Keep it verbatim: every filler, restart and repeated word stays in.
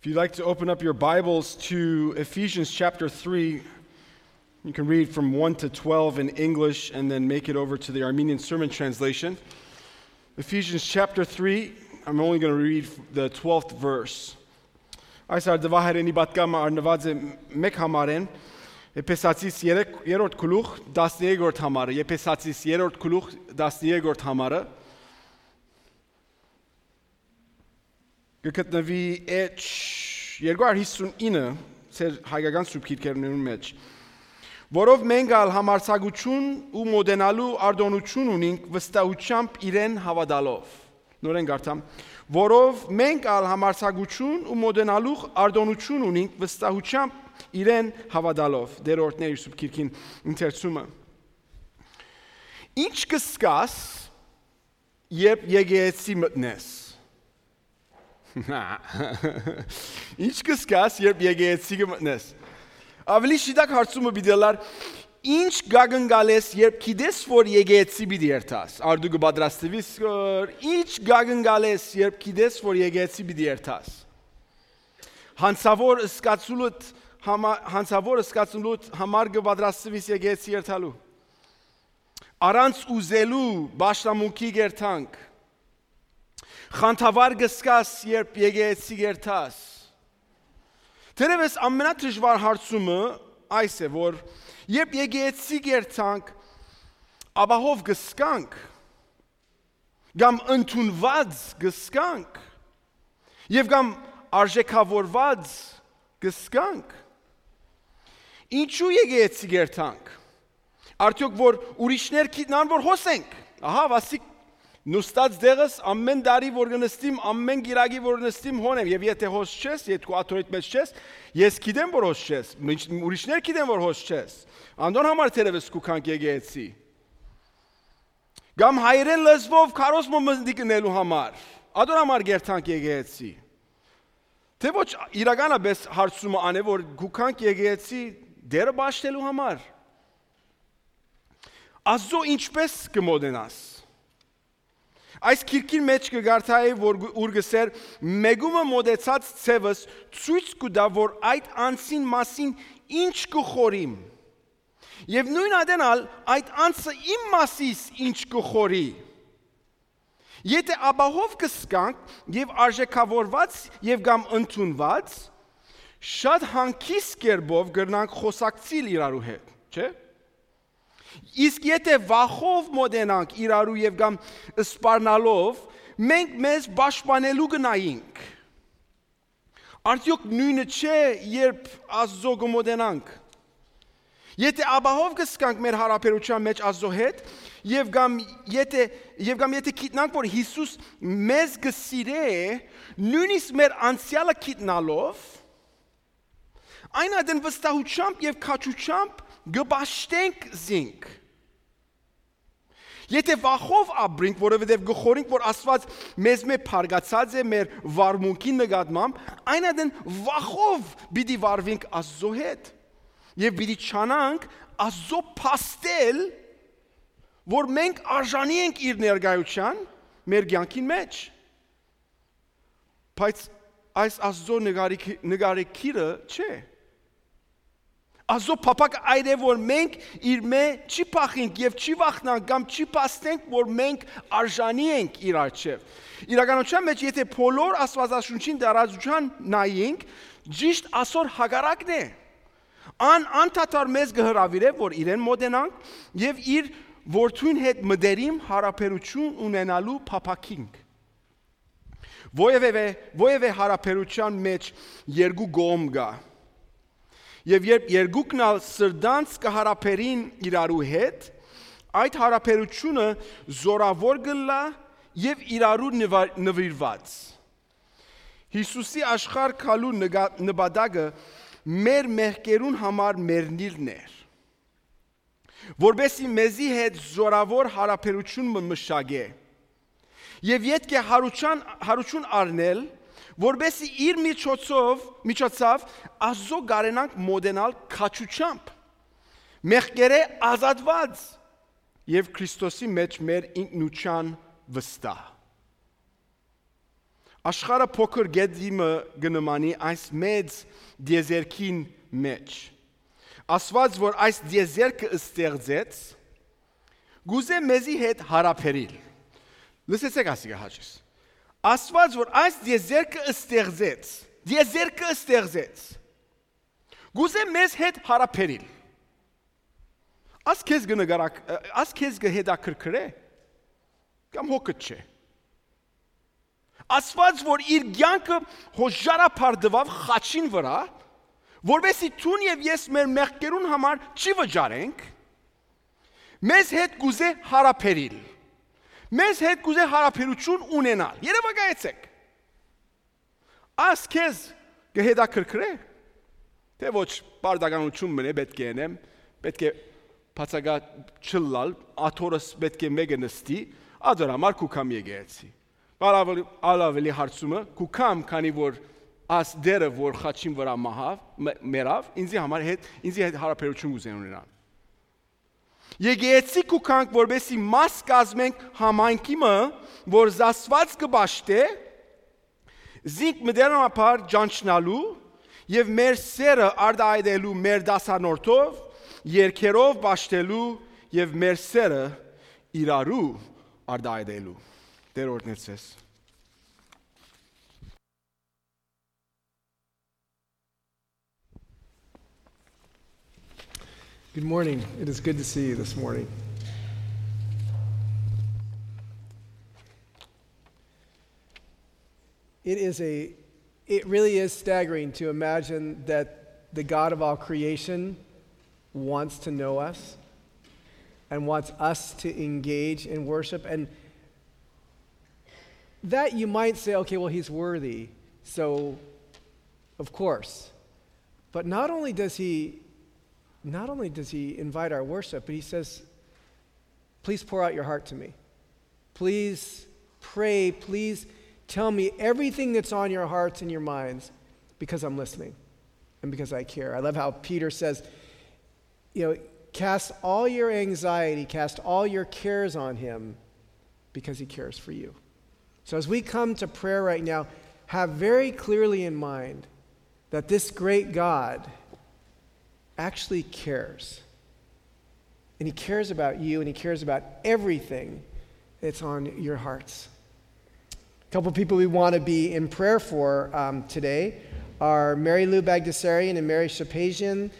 If you'd like to open up your Bibles to Ephesians chapter three, you can read from one to twelve in English and then make it over to the Armenian Sermon Translation. Ephesians chapter three, I'm only gonna read the twelfth verse. Այս արդուահայերենի պատգամը առնուած է մէկ համարէն, Եփեսացիս երեք, երրորդ գլուխ, տասներկերորդ համարը, Եփեսացիս երրորդ գլուխ, տասներկերորդ համարը։ Կը գտնուի էջ երկու հարյուր հիսուն ինը ձեր հայկական սուրբ գիրքերուն մէջ, որով մենք ալ համարձակութիւն ու մոտենալու արտօնութիւն ունինք վստահութեամբ իրեն հաւատալով։ Նորէն կարդամ. «Որով մենք ալ համարձակութիւն ու մոտենալու արտօնութիւն ունինք վստահութեամբ իրեն հաւատալով»։ Տէր օրհնէ իր սուրբ գիրքին ընթերցումը։ Ի՞նչ կը զգաս, երբ եկեղեցի մտնես։ Ի՞նչ կը զգաս, երբ եկեղեցի կը մտնես։ Աւելի շիտակ հարցումը պիտի ըլլար. ի՞նչ կակնկալես, երբ գիտես, որ եկեղեցի պիտի երթաս։ Արդու կը պատրաստվի՞ս, որ ի՞նչ կակնկալես, երբ գիտես, որ եկեղեցի պիտի երթաս։ Հանցաւոր զգացուլուդ համա-, հանցաւոր զգացուլուդ համար կը պատրաստվի՞ս եկեղեցի երթալու։ Առանց ուզելու պաշտամունքի կ'երթանք։ Խանդավառ կը զգաս, երբ եկեղեցի կ'երթաս։ Թերեւս ամենադժուար հարցումը այս է, որ երբ եկեղեցի կ'երթանք, ապահով կը զգանք, կամ ընդունված կը զգանք, եւ կամ արժեքավորված կը զգանք։ Ինչու եկեղեցի կ'երթանք։ Արդեօք որ ուրիշներ գիտնան, որ հոս ենք։ Ահա, վասիկ նստած դեղս, ամեն տարի որ կը նստիմ, ամեն կիրակի որ նստիմ, հոն եմ, եւ եթե հոս չես, եթե քու աթոռիդ մէջ չես, ես գիտեմ, որ հոս չես, մինչ ուրիշներ գիտեն, որ հոս չես։ Անդոր համար թերեւս կու գանք եկեղեցի։ Կամ հայերեն լեզուով քարոզմը մտիկ ընելու համար, ադոր համար կ'երթանք եկեղեցի։ Թէ ոչ, իրականապէս հարցումը ան է, որ կու գանք եկեղեցի Տէրը պաշտելու համար։ Աստուծոյ ինչպէս կը մոտենաս։ Այս գիրքին մէջ կը կարդայի, որ գ-, ուր կ'ըսէր. «Մեկումը մոտեցած ձեւս ցոյց կու տայ, որ այդ անձին մասին ինչ կը խորհիմ։ Եւ նոյն ատեն ալ այդ անձը իմ մասիս ինչ կը խորհի։ Եթե ապահով կը զգանք եւ արժեքավորված եւ կամ ընդունված, շատ հանգիստ կերպով կրնանք խօսակցիլ իրարու հետ, չէ՞։ Իսկ եթե վախով մոտենանք իրարու եւ կամ սպառնալով, մենք մեզ պաշտպանելու կը նայինք»։ Արդեօք նոյնը չէ՞, երբ Աստուծոյ կը մոտենանք։ Եթե ապահով կը զգանք մեր յարաբերութեան մէջ Աստուծոյ հետ, եւ կամ եթե, եւ կամ եթե գիտնանք, որ Յիսուս մեզ կը սիրէ, նոյնիսկ մեր անցեալը գիտնալով, այն ատեն վստահութեամբ եւ քաջութեամբ կը պաշտենք զինք։ Եթե վախով ապրենք, որովհետեւ կը խորհենք, որ Աստուած մեզմէ փառկացած է մեր վարմունքին նկատմամբ, այն ատեն վախով պիտի վարվենք Աստուծոյ հետ եւ պիտի չանանք Աստուծոյ փաստել, որ մենք արժանի ենք իր ներկայութեան մեր կեանքին մէջ։ Բայց այս Աստուծոյ նկարի-, նկարեքիրը չէ։ Աստուծոյ փափակը այն է, որ մենք իրմէ չի փախինք եւ չի վախնանք կամ չի փաստենք, որ մենք արժանի ենք իր առջեւ։ Իրականութեան մէջ, եթե բոլոր Աստուածաշունչին տարածութեան նայենք, ճիշդ ասոր հակառակն է։ Ան անդադար մեզ կը հրաւիրէ, որ իրեն մոտենանք եւ իր որդուն հետ մտերիմ յարաբերութիւն ունենալու փափաքինք։ Որևէ, որևէ յարաբերութեան մէջ երկու կողմ կայ։ Եւ երբ երկուքն ալ սրտանց կը յարաբերին իրարու հետ, այդ յարաբերութիւնը զօրաւոր կ'ըլլայ եւ իրարու նվա-, նուիրուած։ Յիսուսի աշխարհ գալու նկա-, նպատակը մեր մեղքերուն համար մեռնիլն էր, որպէսզի մեզի հետ զօրաւոր յարաբերութիւն մը մշակէ։ Եւ ետք է յարութեան, յարութիւն առնել, որպէսզի իր միջոցով, միջոցով Աստուծոյ կարենանք մոտենալ քաջութեամբ, մեղքերէ ազատուած եւ Քրիստոսի մէջ մեր ինքնութեան վստահ։ Աշխարհը փոքր գետի մը կը նմանի այս մեծ տիեզերքին մէջ։ Աստուած, որ այս տիեզերքը ստեղծեց, կուզէ մեզի հետ յարաբերիլ։ Լսեցէք ասիկա, հաճես։ Աստուած, որ այս տիեզերքը ստեղծեց, տիեզերքը ստեղծեց, կուզէ մեզ հետ յարաբերիլ։ Աս քեզ կը նկարակ-, աս քեզ կը հետաքրքրէ, կամ հոգդ չէ։ Աստուած, որ իր կեանքը հոժարաբար տուաւ խաչին վրայ, որպեսզի դուն եւ ես մեր մեղքերուն համար չի վճարենք, մեզ հետ կուզէ յարաբերիլ, մեզ հետ կուզէ յարաբերութիւն ունենալ։ Երևակայեցէք։ Աս քեզ կը հետաքրքրէ, թէ ոչ, պարտականութիւն մնայ, պէտք է ընեմ, պէտք է բացակայ չըլլալ, աթոռս պէտք է մէկը նստի, ադոր համար կու գամ եկեղեցի։ Ալ աւելի, ալ աւելի հարցումը, կու գամ, քանի որ աս Տէրը, որ խաչին վրայ մահաւ, մեռաւ, ինձի համար հետ, ինձի հետ յարաբերութիւն կ'ուզեն ունենալ։ Եկեղեցի կու գանք, որպեսզի մաս կազմենք համայնքի մը, որ Աստուած կը պաշտէ, զինք մտերմաբար ճանչնալու եւ մեր սերը արտայայտելու մեր դասանորդով, երկերով պաշտելու եւ մեր սերը իրարու արտայայտելու։ Տէր օրհնեցես։ Good morning. It is good to see you this morning. It is a, it really is staggering to imagine that the God of all creation wants to know us and wants us to engage in worship. And that you might say, "Okay, well, he's worthy, so of course." But not only does he, not only does he invite our worship, but he says, "Please pour out your heart to me. Please pray. Please tell me everything that's on your hearts and your minds, because I'm listening and because I care." I love how Peter says, you know, "Cast all your anxiety, cast all your cares on him, because he cares for you." So as we come to prayer right now, have very clearly in mind that this great God actually cares. And he cares about you, and he cares about everything that's on your hearts. A couple people we want to be in prayer for, um, today are Mary Lou Bagdasarian and Mary Shapazian.